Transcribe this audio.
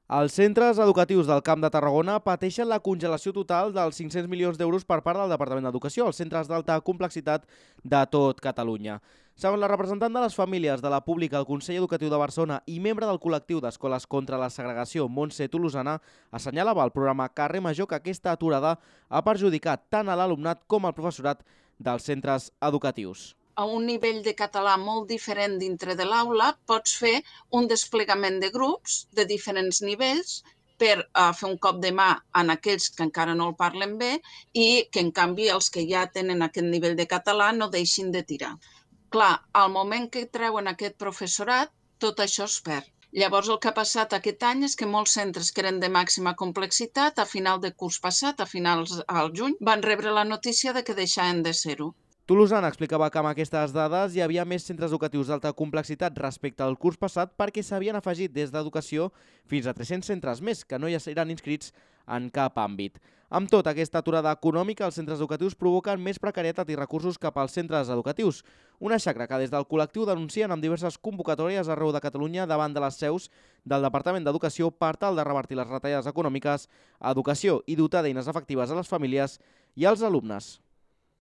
Els centres educatius del Camp de Tarragona pateixen la congelació total dels 500 milions d'euros per part del Departament d'Educació als centres d'alta complexitat de tot Catalunya. Segons la representant de les famílies de la pública al Consell Educatiu de Barcelona i membre del col·lectiu d'escoles contra la segregació, Montse Tolosana, assenyalava al programa Carrer Major que aquesta aturada ha perjudicat tant a l'alumnat com al professorat dels centres educatius. A un nivell de català molt diferent dintre de l'aula, pots fer un desplegament de grups de diferents nivells per fer un cop de mà en aquells que encara no el parlen bé i que, en canvi, els que ja tenen aquest nivell de català no deixin de tirar. Clar, al moment que treuen aquest professorat, tot això es perd. Llavors, el que ha passat aquest any és que molts centres que eren de màxima complexitat, a final de curs passat, a finals al juny, van rebre la notícia de que deixaven de ser-ho. Tolosana explicava que amb aquestes dades hi havia més centres educatius d'alta complexitat respecte al curs passat perquè s'havien afegit des d'educació fins a 300 centres més que no hi seran inscrits en cap àmbit. Amb tot, aquesta aturada econòmica, els centres educatius provoquen més precarietat i recursos cap als centres educatius. Una xacra que des del col·lectiu denuncien amb diverses convocatòries arreu de Catalunya davant de les seus del Departament d'Educació per tal de revertir les retallades econòmiques a educació i dotar d'eines efectives a les famílies i als alumnes.